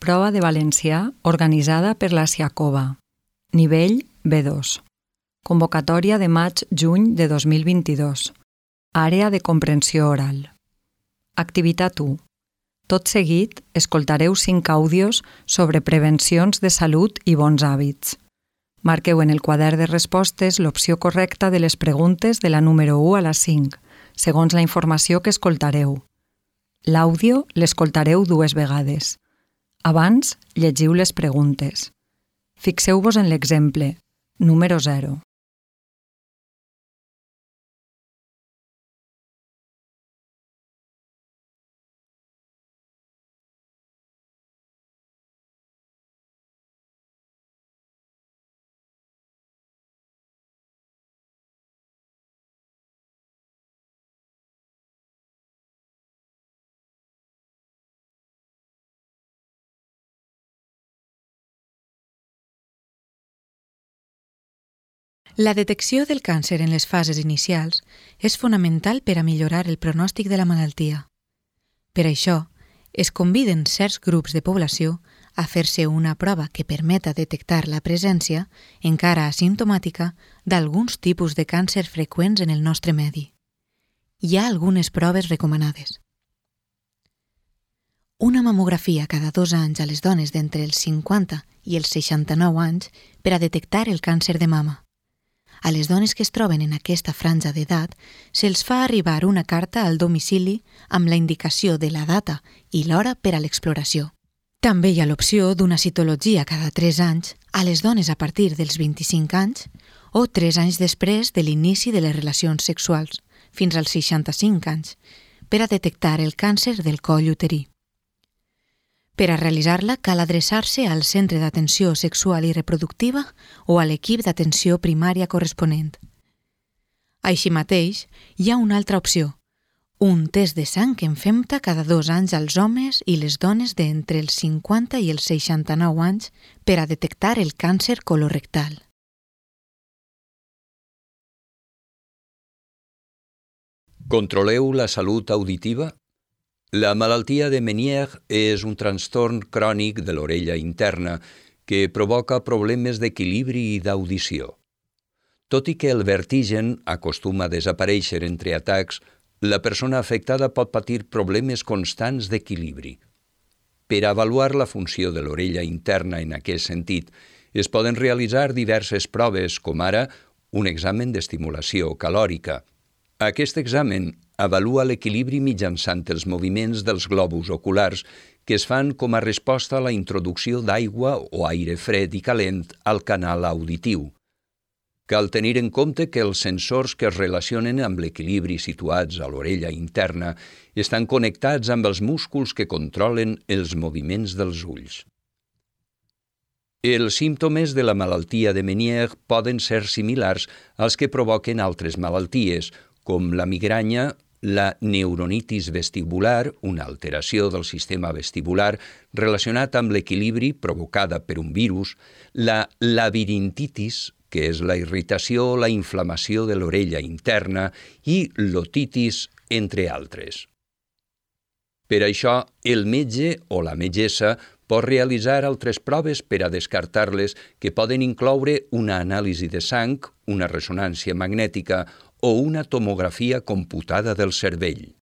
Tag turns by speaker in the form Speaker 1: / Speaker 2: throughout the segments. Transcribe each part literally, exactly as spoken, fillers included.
Speaker 1: Prova de valencià organitzada per la Siacova. Nivell B dos. Convocatòria de maig-juny de dos mil vint-i-dos. Àrea de comprensió oral. Activitat u. Tot seguit, escoltareu cinc àudios sobre prevencions de salut i bons hàbits. Marqueu en el quadern de respostes l'opció correcta de les preguntes de la número u a la cinc, segons la informació que escoltareu. L'àudio l'escoltareu dues vegades. Abans, llegiu les preguntes. Fixeu-vos en l'exemple, número zero.
Speaker 2: La detecció del càncer en les fases inicials és fonamental per a millorar el pronòstic de la malaltia. Per això, es conviden certs grups de població a fer-se una prova que permeta detectar la presència, encara asimptomàtica, d'alguns tipus de càncer freqüents en el nostre medi. Hi ha algunes proves recomanades. Una mamografia cada dos anys a les dones d'entre els cinquanta i els seixanta-nou anys per a detectar el càncer de mama. A les dones que es troben en aquesta franja d'edat se'ls fa arribar una carta al domicili amb la indicació de la data i l'hora per a l'exploració. També hi ha l'opció d'una citologia cada tres anys a les dones a partir dels vint-i-cinc anys o tres anys després de l'inici de les relacions sexuals, fins als seixanta-cinc anys, per a detectar el càncer del coll uterí. Per a realitzar-la cal adreçar-se al centre d'atenció sexual i reproductiva o a l'equip d'atenció primària corresponent. Així mateix, hi ha una altra opció, un test de sang que en fem-te cada dos anys als homes i les dones d'entre els cinquanta i els seixanta-nou anys per a detectar el càncer colorectal.
Speaker 3: Controleu la salut auditiva? La malaltia de Meniere és un trastorn crònic de l'orella interna que provoca problemes d'equilibri i d'audició. Tot i que el vertigen acostuma a desaparèixer entre atacs, la persona afectada pot patir problemes constants d'equilibri. Per avaluar la funció de l'orella interna en aquest sentit, es poden realitzar diverses proves, com ara un examen d'estimulació calòrica. Aquest examen avalua l'equilibri mitjançant els moviments dels globus oculars que es fan com a resposta a la introducció d'aigua o aire fred i calent al canal auditiu. Cal tenir en compte que els sensors que es relacionen amb l'equilibri situats a l'orella interna estan connectats amb els músculs que controlen els moviments dels ulls. Els símptomes de la malaltia de Meniere poden ser similars als que provoquen altres malalties, com la migranya, la neuronitis vestibular, una alteració del sistema vestibular relacionat amb l'equilibri provocada per un virus, la labirintitis, que és la irritació o la inflamació de l'orella interna, i l'otitis, entre altres. Per això, el metge o la metgessa pot realitzar altres proves per a descartar-les que poden incloure una anàlisi de sang, una ressonància magnètica o una tomografia computada del cervell.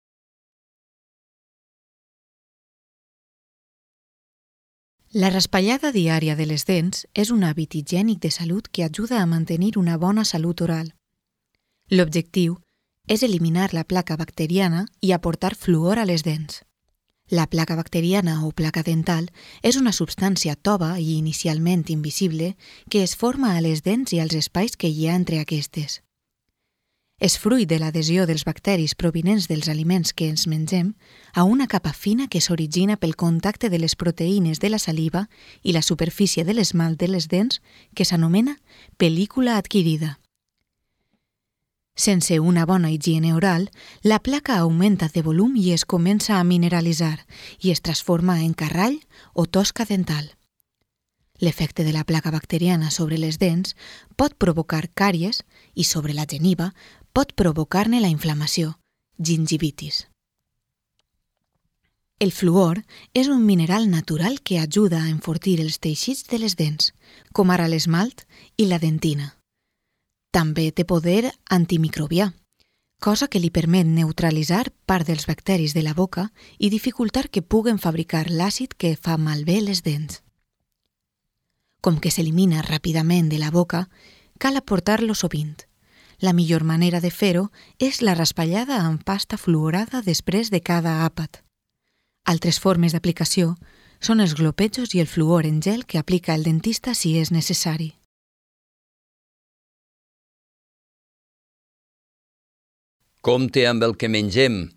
Speaker 2: La raspallada diària de les dents és un hàbit higiènic de salut que ajuda a mantenir una bona salut oral. L'objectiu és eliminar la placa bacteriana i aportar fluor a les dents. La placa bacteriana o placa dental és una substància tova i inicialment invisible que es forma a les dents i als espais que hi ha entre aquestes. És fruit de l'adhesió dels bacteris provinents dels aliments que ens mengem a una capa fina que s'origina pel contacte de les proteïnes de la saliva i la superfície de l'esmalt de les dents que s'anomena pel·lícula adquirida. Sense una bona higiene oral, la placa augmenta de volum i es comença a mineralitzar i es transforma en carrall o tosca dental. L'efecte de la placa bacteriana sobre les dents pot provocar càries i sobre la geniva pot provocar-ne la inflamació, gingivitis. El fluor és un mineral natural que ajuda a enfortir els teixits de les dents, com ara l'esmalt i la dentina. També té poder antimicrobià, cosa que li permet neutralitzar part dels bacteris de la boca i dificultar que puguen fabricar l'àcid que fa malbé les dents. Com que s'elimina ràpidament de la boca, cal aportar-lo sovint. La millor manera de fer-ho és la raspallada amb pasta fluorada després de cada àpat. Altres formes d'aplicació són els glopetjos i el fluor en gel que aplica el dentista si és necessari.
Speaker 3: Compte amb el que mengem.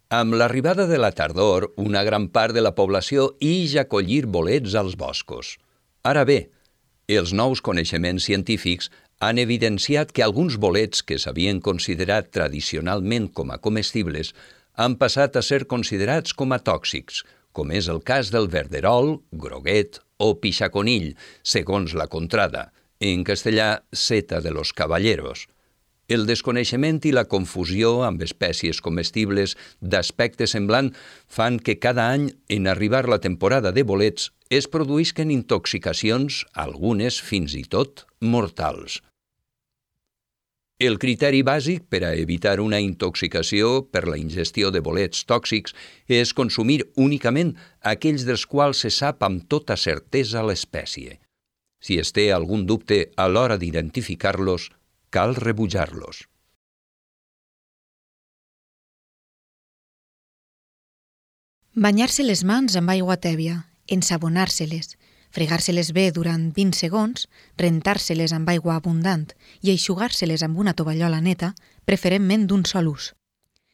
Speaker 3: Amb l'arribada de la tardor, una gran part de la població ix a collir bolets als boscos. Ara bé, els nous coneixements científics han evidenciat que alguns bolets que s'havien considerat tradicionalment com a comestibles han passat a ser considerats com a tòxics, com és el cas del verderol, groguet o pixaconill, segons la contrada, en castellà seta de los caballeros. El desconeixement i la confusió amb espècies comestibles d'aspecte semblant fan que cada any, en arribar la temporada de bolets, es produïsquen intoxicacions, algunes fins i tot mortals. El criteri bàsic per a evitar una intoxicació per la ingestió de bolets tòxics és consumir únicament aquells dels quals se sap amb tota certesa l'espècie. Si es té algun dubte a l'hora d'identificar-los, cal rebutjar-los.
Speaker 2: Banyar-se les mans amb aigua tèbia, ensabonar-se-les, fregar-se-les bé durant vint segons, rentar-se-les amb aigua abundant i eixugar-se-les amb una tovallola neta, preferentment d'un sol ús.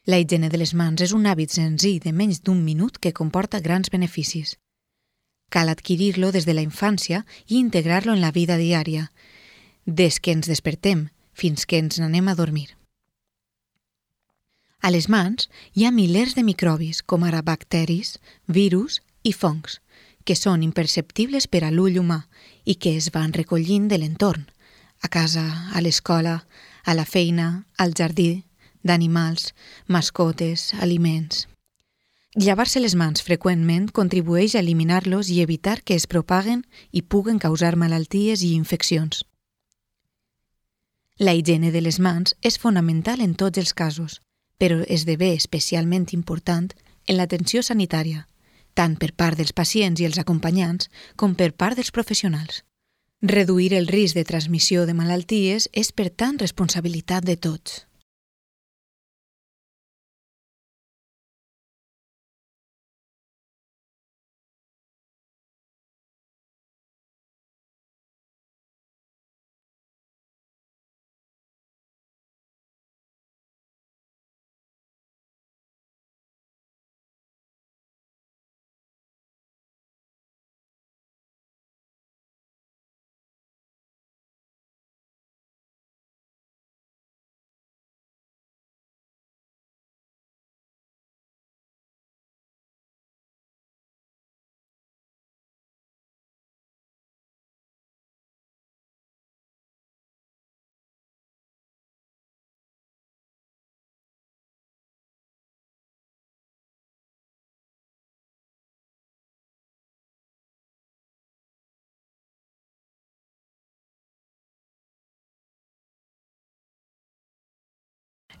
Speaker 2: La higiene de les mans és un hàbit senzill de menys d'un minut que comporta grans beneficis. Cal adquirir-lo des de la infància i integrar-lo en la vida diària, des que ens despertem fins que ens n'anem a dormir. A les mans hi ha milers de microbis, com ara bacteris, virus i fongs, que són imperceptibles per a l'ull humà i que es van recollint de l'entorn, a casa, a l'escola, a la feina, al jardí, d'animals, mascotes, aliments. Llevar-se les mans freqüentment contribueix a eliminar-los i evitar que es propaguen i puguen causar malalties i infeccions. La higiene de les mans és fonamental en tots els casos, però esdevé especialment important en l'atenció sanitària, tant per part dels pacients i els acompanyants com per part dels professionals. Reduir el risc de transmissió de malalties és, per tant, responsabilitat de tots.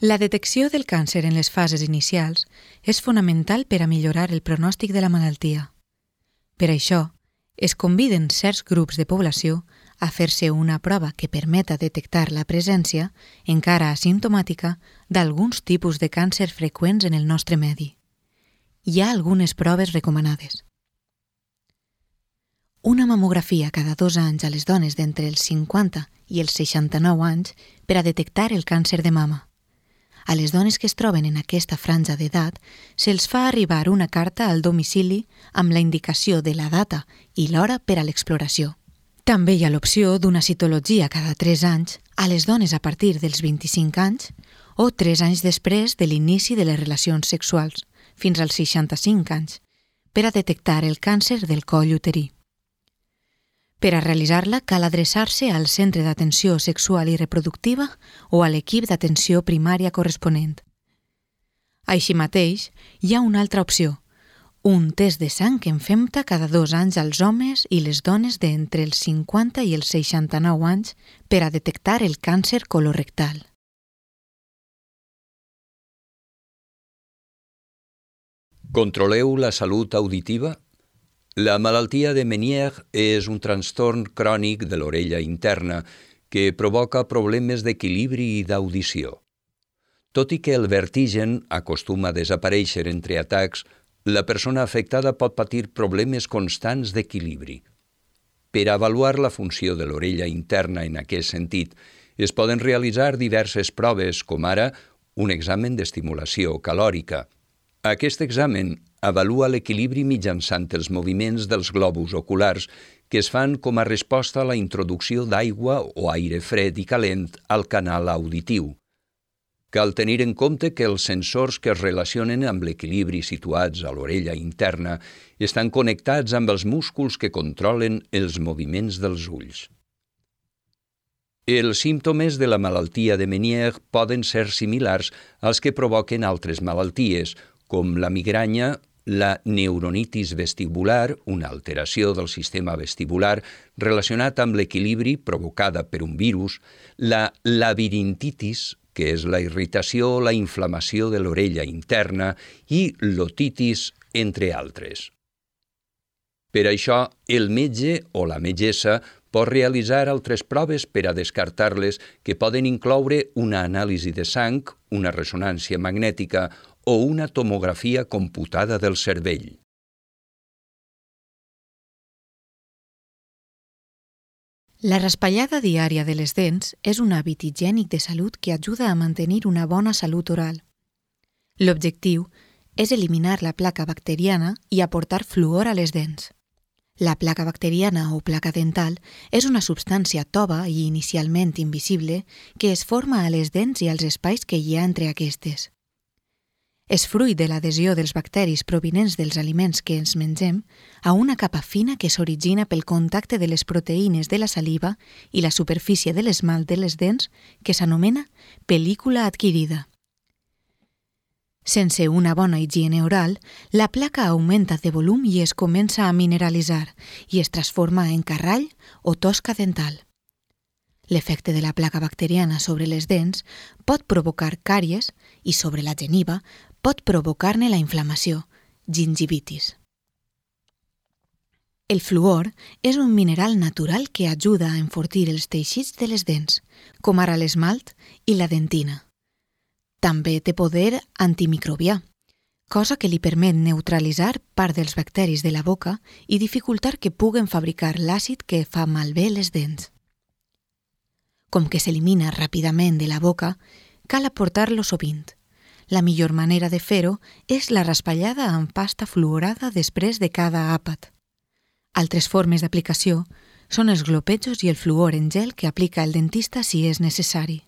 Speaker 2: La detecció del càncer en les fases inicials és fonamental per a millorar el pronòstic de la malaltia. Per això, es conviden certs grups de població a fer-se una prova que permeta detectar la presència, encara asimptomàtica, d'alguns tipus de càncer freqüents en el nostre medi. Hi ha algunes proves recomanades. Una mamografia cada dos anys a les dones d'entre els cinquanta i els seixanta-nou anys per a detectar el càncer de mama. A les dones que es troben en aquesta franja d'edat se'ls fa arribar una carta al domicili amb la indicació de la data i l'hora per a l'exploració. També hi ha l'opció d'una citologia cada tres anys a les dones a partir dels vint-i-cinc anys o tres anys després de l'inici de les relacions sexuals, fins als seixanta-cinc anys, per a detectar el càncer del coll uterí. Per a realitzar-la cal adreçar-se al centre d'atenció sexual i reproductiva o a l'equip d'atenció primària corresponent. Així mateix, hi ha una altra opció, un test de sang que en fem cada dos anys als homes i les dones d'entre els cinquanta i els seixanta-nou anys per a detectar el càncer colorectal.
Speaker 3: Controleu la salut auditiva? La malaltia de Meniere és un trastorn crònic de l'orella interna que provoca problemes d'equilibri i d'audició. Tot i que el vertigen acostuma a desaparèixer entre atacs, la persona afectada pot patir problemes constants d'equilibri. Per avaluar la funció de l'orella interna en aquest sentit, es poden realitzar diverses proves, com ara un examen d'estimulació calòrica. Aquest examen avalua l'equilibri mitjançant els moviments dels globus oculars que es fan com a resposta a la introducció d'aigua o aire fred i calent al canal auditiu. Cal tenir en compte que els sensors que es relacionen amb l'equilibri situats a l'orella interna estan connectats amb els músculs que controlen els moviments dels ulls. Els símptomes de la malaltia de Meniere poden ser similars als que provoquen altres malalties, com la migranya, la neuronitis vestibular, una alteració del sistema vestibular relacionat amb l'equilibri provocada per un virus, la labirintitis, que és la irritació o la inflamació de l'orella interna, i l'otitis, entre altres. Per això, el metge o la metgessa pot realitzar altres proves per a descartar-les que poden incloure una anàlisi de sang, una ressonància magnètica o una tomografia computada del cervell.
Speaker 2: La raspallada diària de les dents és un hàbit higiènic de salut que ajuda a mantenir una bona salut oral. L'objectiu és eliminar la placa bacteriana i aportar fluor a les dents. La placa bacteriana o placa dental és una substància tova i inicialment invisible que es forma a les dents i als espais que hi ha entre aquestes. És fruit de l'adhesió dels bacteris provinents dels aliments que ens mengem a una capa fina que s'origina pel contacte de les proteïnes de la saliva i la superfície de l'esmalt de les dents que s'anomena pel·lícula adquirida. Sense una bona higiene oral, la placa augmenta de volum i es comença a mineralitzar i es transforma en carrall o tosca dental. L'efecte de la placa bacteriana sobre les dents pot provocar càries i sobre la geniva pot provocar-ne la inflamació, gingivitis. El fluor és un mineral natural que ajuda a enfortir els teixits de les dents, com ara l'esmalt i la dentina. També té poder antimicrobià, cosa que li permet neutralitzar part dels bacteris de la boca i dificultar que puguen fabricar l'àcid que fa malbé les dents. Com que s'elimina ràpidament de la boca, cal aportar-lo sovint. La millor manera de fer-ho és la raspallada amb pasta fluorada després de cada àpat. Altres formes d'aplicació són els glopetjos i el fluor en gel que aplica el dentista si és necessari.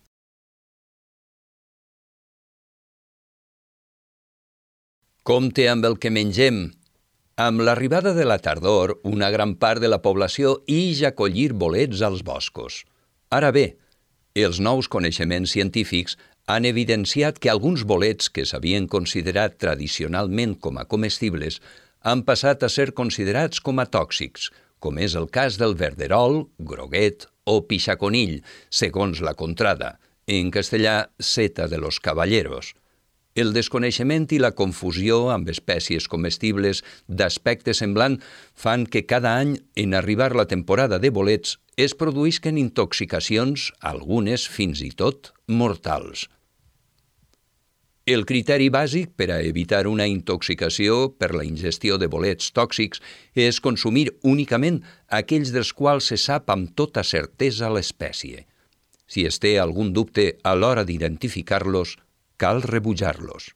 Speaker 3: Compte amb el que mengem. Amb l'arribada de la tardor, una gran part de la població ix a collir bolets als boscos. Ara bé, els nous coneixements científics han evidenciat que alguns bolets que s'havien considerat tradicionalment com a comestibles han passat a ser considerats com a tòxics, com és el cas del verderol, groguet o pixaconill, segons la contrada, en castellà seta de los caballeros. El desconeixement i la confusió amb espècies comestibles d'aspecte semblant fan que cada any, en arribar la temporada de bolets, es produïsquen intoxicacions, algunes fins i tot mortals. El criteri bàsic per a evitar una intoxicació per la ingestió de bolets tòxics és consumir únicament aquells dels quals se sap amb tota certesa l'espècie. Si es té algun dubte a l'hora d'identificar-los, cal rebutjar-los.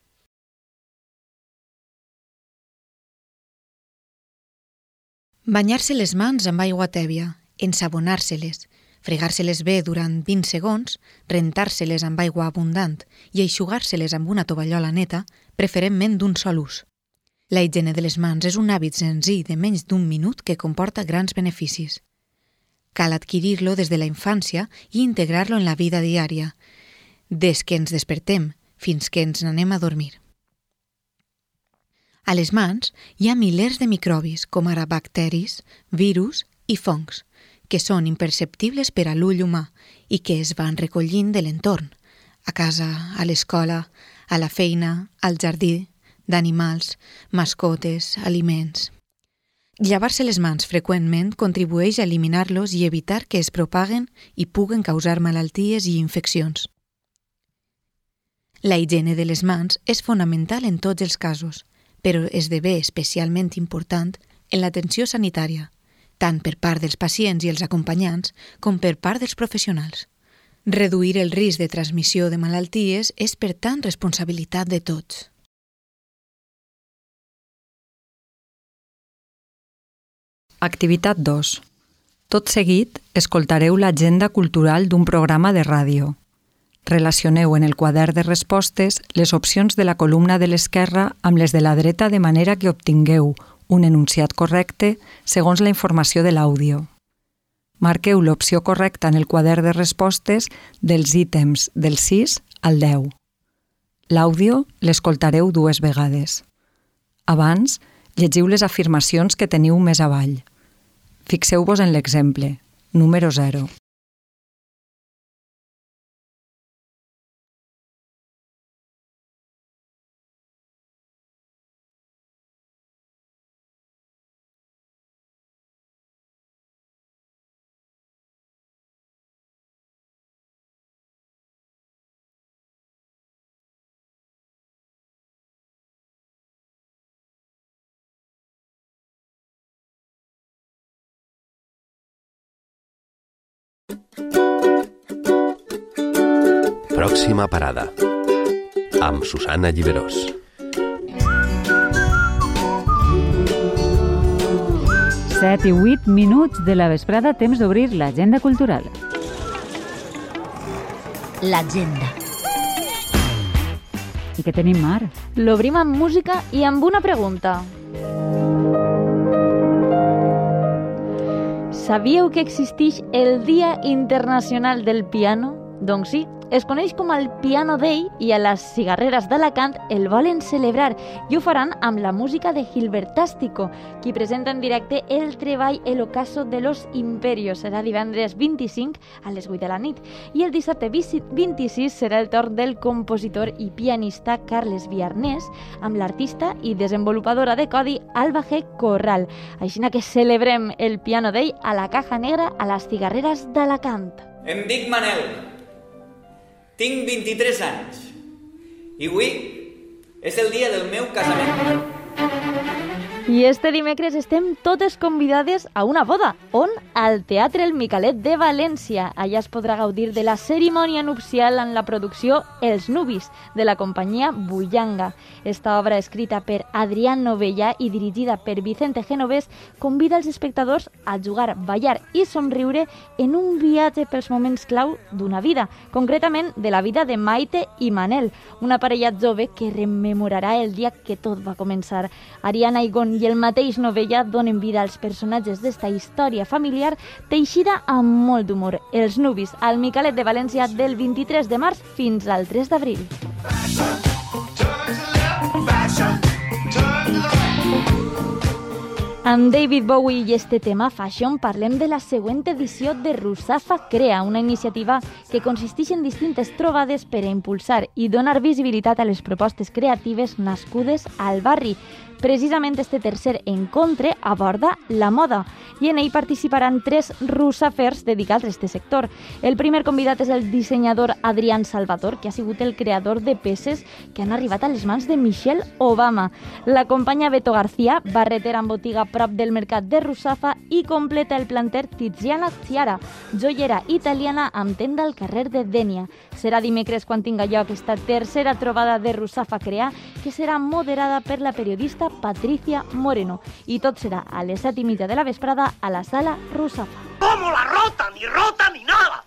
Speaker 2: Banyar-se les mans amb aigua tèbia, ensabonar-se-les, fregar-se-les bé durant vint segons, rentar-se-les amb aigua abundant i eixugar-se-les amb una tovallola neta, preferentment d'un sol ús. La higiene de les mans és un hàbit senzill de menys d'un minut que comporta grans beneficis. Cal adquirir-lo des de la infància i integrar-lo en la vida diària, des que ens despertem fins que ens n'anem a dormir. A les mans hi ha milers de microbis, com ara bacteris, virus i fongs, que són imperceptibles per a l'ull humà i que es van recollint de l'entorn, a casa, a l'escola, a la feina, al jardí, d'animals, mascotes, aliments. Llevar-se les mans freqüentment contribueix a eliminar-los i evitar que es propaguen i puguen causar malalties i infeccions. La higiene de les mans és fonamental en tots els casos, però esdevé especialment important en l'atenció sanitària, tant per part dels pacients i els acompanyants com per part dels professionals. Reduir el risc de transmissió de malalties és, per tant, responsabilitat de tots.
Speaker 1: Activitat dos. Tot seguit, escoltareu l'agenda cultural d'un programa de ràdio. Relacioneu en el quadern de respostes les opcions de la columna de l'esquerra amb les de la dreta de manera que obtingueu un enunciat correcte segons la informació de l'àudio. Marqueu l'opció correcta en el quadern de respostes dels ítems del sis al deu. L'àudio l'escoltareu dues vegades. Abans, llegiu les afirmacions que teniu més avall. Fixeu-vos en l'exemple, número zero.
Speaker 4: Pròxima parada, amb Susana Lliberós.
Speaker 5: Set i vuit minuts de la vesprada, temps d'obrir l'agenda cultural.
Speaker 6: L'agenda.
Speaker 5: I què tenim, Mar?
Speaker 6: L'obrim amb música i amb una pregunta. Sabíeu que existeix el Dia Internacional del Piano? Doncs sí, es coneix com el Piano Day i a les cigarreres d'Alacant el volen celebrar i ho faran amb la música de Gilbertástico, qui presenta en directe el treball El ocaso de los imperios. Serà divendres vint-i-cinc a les vuit de la nit. I el dissabte vint-i-sis serà el torn del compositor i pianista Carles Viarnés amb l'artista i desenvolupadora de codi Alba G. Corral. Així que celebrem el Piano Day a la Caja Negra a les cigarreres d'Alacant.
Speaker 7: Em dic Manel. Tinc vint-i-tres anys i avui és el dia del meu casament.
Speaker 6: I este dimecres estem totes convidades a una boda. On? Al Teatre El Micalet de València. Allà es podrà gaudir de la cerimònia nupcial en la producció Els Nubis, de la companyia Bullanga. Esta obra, escrita per Adrián Novella i dirigida per Vicente Genovés, convida els espectadors a jugar, ballar i somriure en un viatge pels moments clau d'una vida, concretament de la vida de Maite i Manel, una parella jove que rememorarà el dia que tot va començar. Ariana Igon i el mateix Novella donen vida als personatges d'esta història familiar teixida amb molt d'humor. Els Nubis, al Micalet de València, del vint-i-tres de març fins al tres d'abril. Amb David Bowie i este tema Fashion parlem de la següent edició de Rusafa Crea, una iniciativa que consisteix en distintes trobades per a impulsar i donar visibilitat a les propostes creatives nascudes al barri. Precisament este tercer encontre aborda la moda i en ell participaran tres russafers dedicats a este sector. El primer convidat és el dissenyador Adrián Salvador, que ha sigut el creador de peces que han arribat a les mans de Michelle Obama. L'acompanya Beto García, barretera en botiga prop del mercat de Russafa, i completa el planter Tiziana Ciara, joiera italiana amb tenda al carrer de Dénia. Serà dimecres quan tinga lloc esta tercera trobada de Rusafa Crea, que serà moderada per la periodista Patricia Moreno. I tot serà a les set i mitja de la vesprada a la sala Rusafa.
Speaker 8: ¿Cómo la rota? Ni rota ni nada.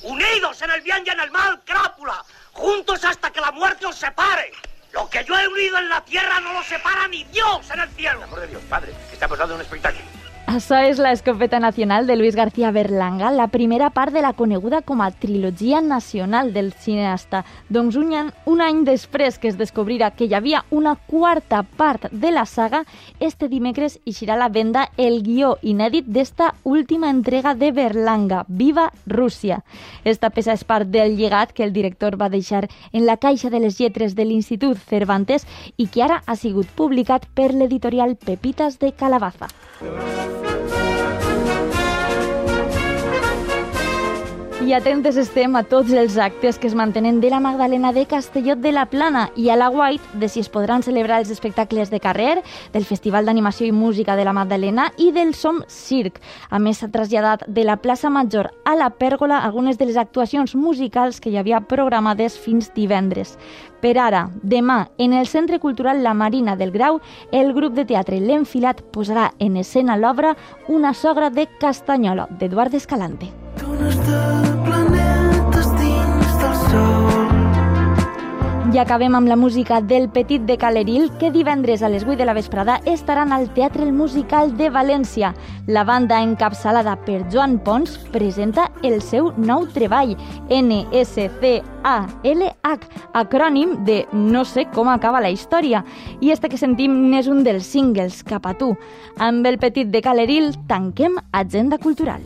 Speaker 8: Unidos en el bien y en el mal, crápula. Juntos hasta que la muerte os separe. Lo que yo he unido en la tierra no lo separa ni Dios en el cielo.
Speaker 9: Por amor de Dios, padre, que estamos dando un espectáculo.
Speaker 6: Això és l'Escopeta Nacional de Luis García Berlanga, la primera part de la coneguda com a trilogia nacional del cineasta. Doncs un any, un any després que es descobrirà que hi havia una quarta part de la saga, este dimecres eixirà a la venda el guió inèdit d'esta última entrega de Berlanga, Viva Rússia. Esta peça és part del llegat que el director va deixar en la caixa de les lletres de l'Institut Cervantes i que ara ha sigut publicat per l'editorial Pepitas de Calabaza. I atentes estem a tots els actes que es mantenen de la Magdalena de Castelló de la Plana i a la White de si es podran celebrar els espectacles de carrer, del Festival d'Animació i Música de la Magdalena i del Som Circ. A més, s'ha traslladat de la plaça Major a la Pèrgola algunes de les actuacions musicals que hi havia programades fins divendres. Per ara, demà, en el Centre Cultural La Marina del Grau, el grup de teatre L'Enfilat posarà en escena l'obra Una sogra de Castanyola, d'Eduard Escalante. I acabem amb la música del Petit de Caleril, que divendres a les vuit de la vesprada estaran al Teatre El Musical de València. La banda, encapçalada per Joan Pons, presenta el seu nou treball, N S C A L H, acrònim de No sé com acaba la història. I este que sentim n'és un dels singles, Cap a tu. Amb el Petit de Caleril tanquem Agenda Cultural.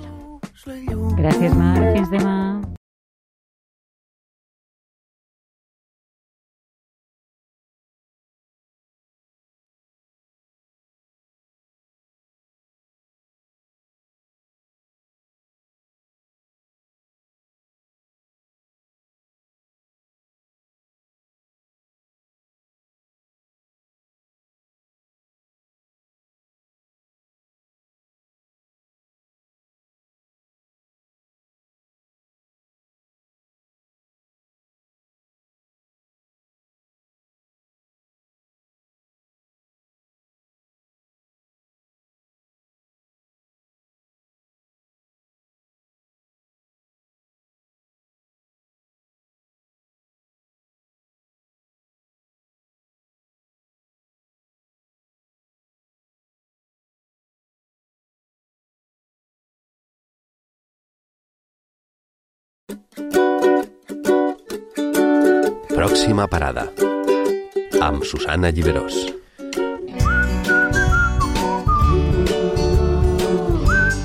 Speaker 5: Gràcies, Mar. Fins demà.
Speaker 4: Pròxima parada, amb Susana Lliberós.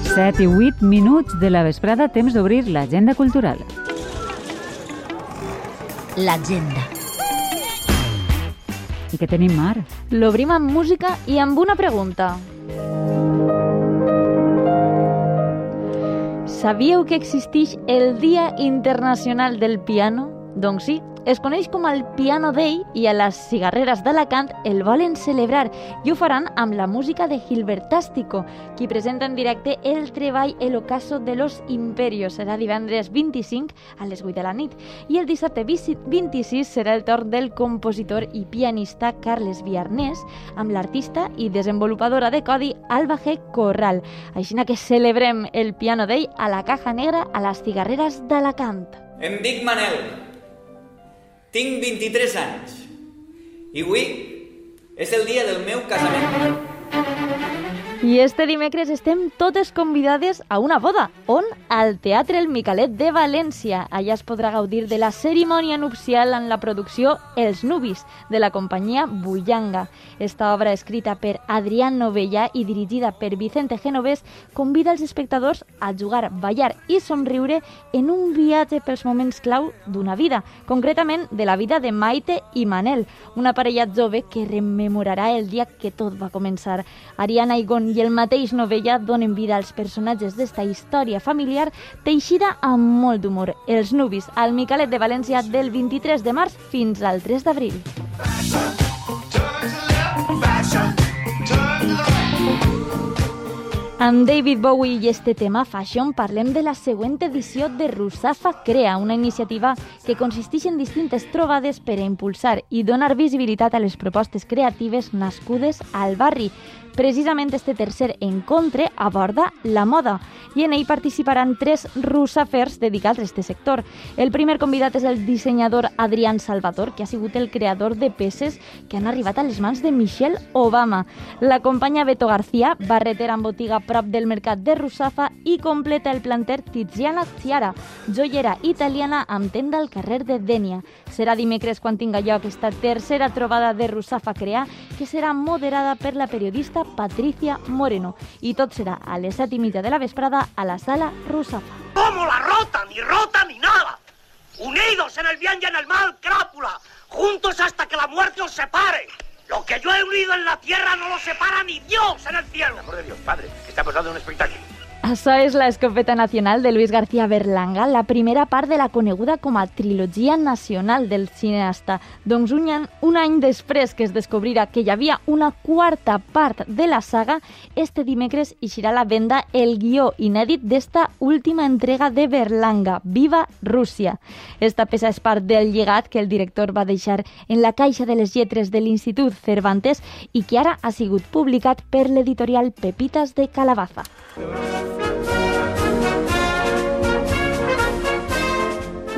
Speaker 5: Set i vuit minuts de la vesprada, temps d'obrir l'agenda cultural.
Speaker 2: L'agenda.
Speaker 5: I què tenim, Mar?
Speaker 6: L'obrim amb música i amb una pregunta. Sabíeu que existeix el Dia Internacional del Piano? Doncs sí, es coneix com el Piano Day i a les cigarreres d'Alacant el volen celebrar i ho faran amb la música de Gilbertástico, qui presenta en directe el treball El ocaso de los imperios. Serà divendres vint-i-cinc a les vuit de la nit. I el dissabte vint-i-sis serà el torn del compositor i pianista Carles Viarnés amb l'artista i desenvolupadora de codi Alba G. Corral. Així que celebrem el Piano Day a la Caja Negra a les cigarreres d'Alacant.
Speaker 7: Em dic Manel. Tinc vint-i-tres anys i avui és el dia del meu casament.
Speaker 6: I este dimecres estem totes convidades a una boda. On? Al Teatre El Micalet de València. Allà es podrà gaudir de la cerimònia nupcial en la producció Els Nubis, de la companyia Bullanga. Esta obra, escrita per Adrián Novella i dirigida per Vicente Genovés, convida els espectadors a jugar, ballar i somriure en un viatge pels moments clau d'una vida, concretament de la vida de Maite i Manel, una parella jove que rememorarà el dia que tot va començar. Ariana Igón i el mateix Novella donen vida als personatges d'esta història familiar teixida amb molt d'humor. Els Nubis, al Micalet de València del vint-i-tres de març fins al tres d'abril. Amb David Bowie i este tema Fashion parlem de la següent edició de Rusafa Crea, una iniciativa que consisteix en distintes trobades per a impulsar i donar visibilitat a les propostes creatives nascudes al barri. Precisament este tercer encontre aborda la moda i en ell participaran tres russafers dedicats a este sector. El primer convidat és el dissenyador Adrián Salvador, que ha sigut el creador de peces que han arribat a les mans de Michelle Obama. L'acompanya Beto García, barretera en botiga prop del mercat de Russafa, i completa el planter Tiziana Ciara, joiera italiana amb tenda al carrer de Dénia. Serà dimecres quan tinga lloc esta tercera trobada de Russafa Crea, que serà moderada per la periodista Patricia Moreno. I tot serà a les set i mitja de la vesprada a la sala Russafa.
Speaker 8: ¿Cómo la rota? Ni rota ni nada. Unidos en el bien y en el mal, crápula. Juntos hasta que la muerte os separe. Lo que yo he unido en la tierra no lo separa ni Dios en el cielo.
Speaker 9: Por amor de Dios, padre, que estamos dando un espectáculo.
Speaker 6: Això és la escopeta nacional de Luis García Berlanga, la primera part de la coneguda com a trilogia nacional del cineasta. Doncs un any, un any després que es descobrirà que hi havia una quarta part de la saga, este dimecres eixirà a la venda el guió inèdit d'esta última entrega de Berlanga, Viva Rússia. Esta peça és part del llegat que el director va deixar en la caixa de les lletres de l'Institut Cervantes i que ara ha sigut publicat per l'editorial Pepitas de Calabaza.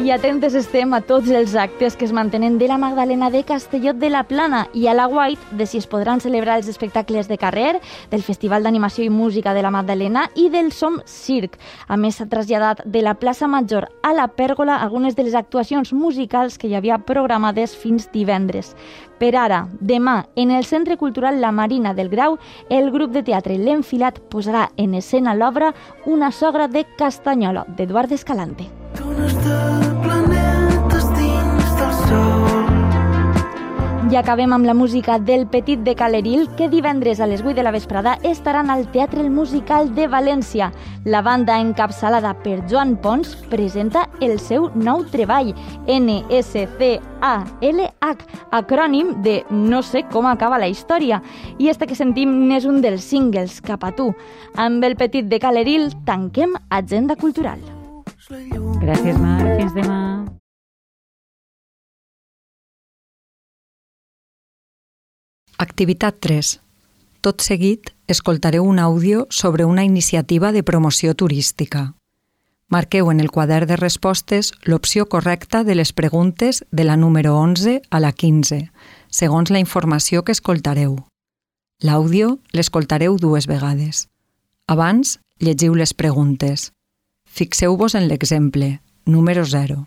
Speaker 6: I atentes estem a tots els actes que es mantenen de la Magdalena de Castelló de la Plana i a la White de si es podran celebrar els espectacles de carrer, del Festival d'Animació i Música de la Magdalena i del Som Circ. A més, s'ha traslladat de la plaça Major a la Pèrgola algunes de les actuacions musicals que hi havia programades fins divendres. Per ara, demà, en el Centre Cultural La Marina del Grau, el grup de teatre L'Enfilat posarà en escena l'obra Una sogra de Castanyola, d'Eduard Escalante. I acabem amb la música del Petit de Caleril, que divendres a les vuit de la vesprada estaran al Teatre El Musical de València. La banda encapçalada per Joan Pons presenta el seu nou treball, N S C A L H, acrònim de No sé com acaba la història. I este que sentim n'és un dels singles, Cap a tu. Amb el Petit de Caleril tanquem Agenda Cultural.
Speaker 5: Gràcies, Mar. Fins demà.
Speaker 1: Activitat tres. Tot seguit, escoltareu un àudio sobre una iniciativa de promoció turística. Marqueu en el quadern de respostes l'opció correcta de les preguntes de la número onze a la quinze, segons la informació que escoltareu. L'àudio l'escoltareu dues vegades. Abans, llegiu les preguntes. Fixeu-vos en l'exemple, número zero.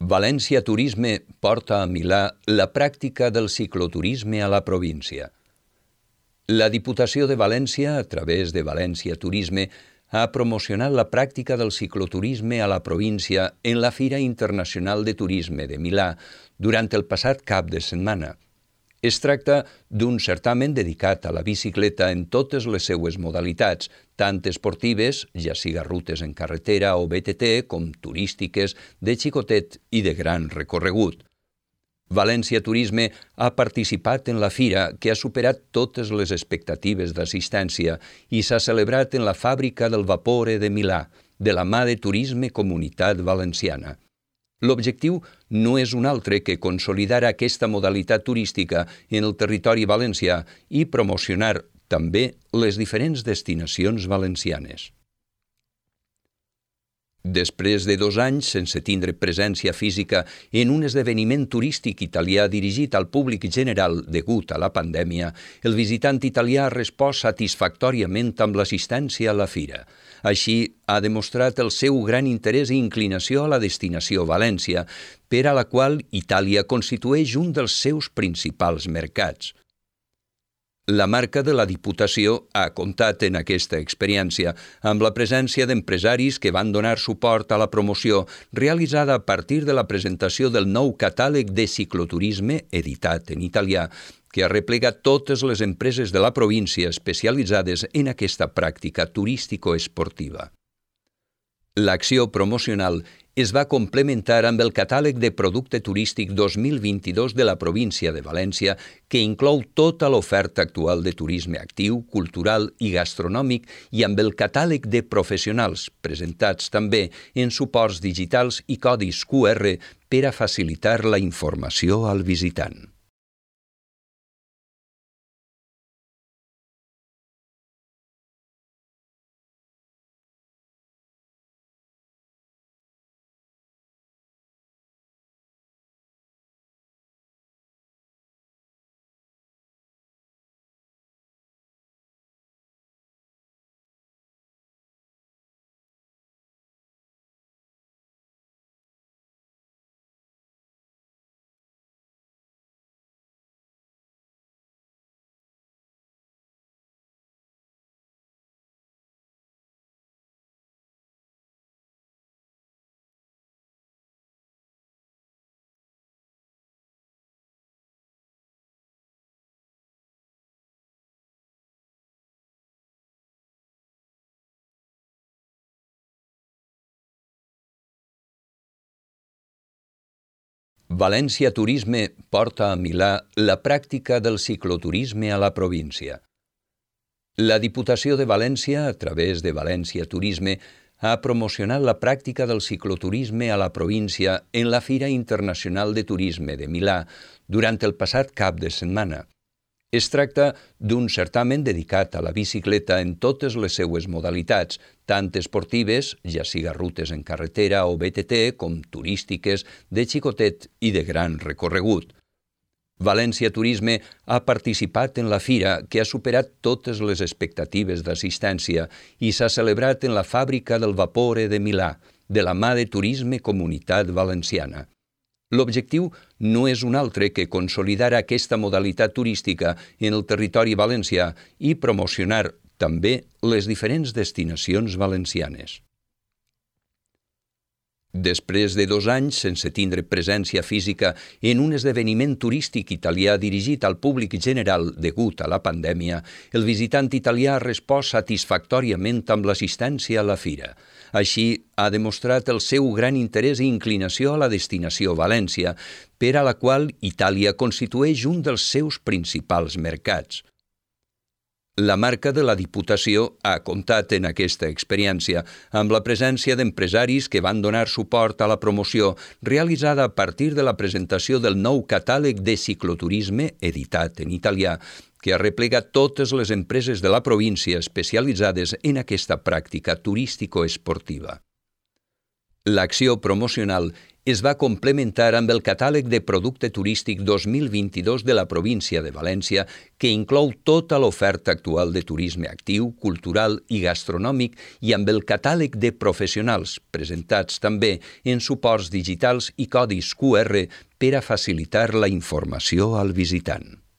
Speaker 3: València Turisme porta a Milà la pràctica del cicloturisme a la província. La Diputació de València, a través de València Turisme, ha promocionat la pràctica del cicloturisme a la província en la Fira Internacional de Turisme de Milà durant el passat cap de setmana. Es tracta d'un certamen dedicat a la bicicleta en totes les seues modalitats, tant esportives, ja siga rutes en carretera o B T T, com turístiques, de xicotet i de gran recorregut. València Turisme ha participat en la fira, que ha superat totes les expectatives d'assistència i s'ha celebrat en la fàbrica del Vapore de Milà, de la mà de Turisme Comunitat Valenciana. L'objectiu no és un altre que consolidar aquesta modalitat turística en el territori valencià i promocionar també les diferents destinacions valencianes. Després de dos anys sense tindre presència física en un esdeveniment turístic italià dirigit al públic general degut a la pandèmia, el visitant italià ha respost satisfactòriament amb l'assistència a la fira. Així, ha demostrat el seu gran interès i inclinació a la destinació València, per a la qual Itàlia constitueix un dels seus principals mercats. La marca de la Diputació ha comptat en aquesta experiència amb la presència d'empresaris que van donar suport a la promoció realitzada a partir de la presentació del nou catàleg de cicloturisme editat en italià que arreplega totes les empreses de la província especialitzades en aquesta pràctica turístico-esportiva. L'acció promocional es va complementar amb el catàleg de producte turístic dos mil vint-i-dos de la província de València, que inclou tota l'oferta actual de turisme actiu, cultural i gastronòmic, i amb el catàleg de professionals, presentats també en suports digitals i codis Q R per a facilitar la informació al visitant. València Turisme porta a Milà la pràctica del cicloturisme a la província. La Diputació de València, a través de València Turisme, ha promocionat la pràctica del cicloturisme a la província en la Fira Internacional de Turisme de Milà durant el passat cap de setmana. Es tracta d'un certamen dedicat a la bicicleta en totes les seues modalitats, tant esportives, ja siga rutes en carretera o B T T, com turístiques, de xicotet i de gran recorregut. València Turisme ha participat en la fira, que ha superat totes les expectatives d'assistència i s'ha celebrat en la fàbrica del Vapore de Milà, de la mà de Turisme Comunitat Valenciana. L'objectiu no és un altre que consolidar aquesta modalitat turística en el territori valencià i promocionar també les diferents destinacions valencianes. Després de dos anys sense tindre presència física en un esdeveniment turístic italià dirigit al públic general degut a la pandèmia, el visitant italià ha respost satisfactòriament amb l'assistència a la fira. Així, ha demostrat el seu gran interès i inclinació a la destinació València, per a la qual Itàlia constitueix un dels seus principals mercats. La marca de la Diputació ha comptat en aquesta experiència amb la presència d'empresaris que van donar suport a la promoció realitzada a partir de la presentació del nou catàleg de cicloturisme editat en italià, que arreplega totes les empreses de la província especialitzades en aquesta pràctica turístico-esportiva. L'acció promocional es va complementar amb el catàleg de producte turístic dos mil vint-i-dos de la província de València, que inclou tota l'oferta actual de turisme actiu, cultural i gastronòmic, i amb el catàleg de professionals, presentats també en suports digitals i codis Q R per a facilitar la informació al visitant.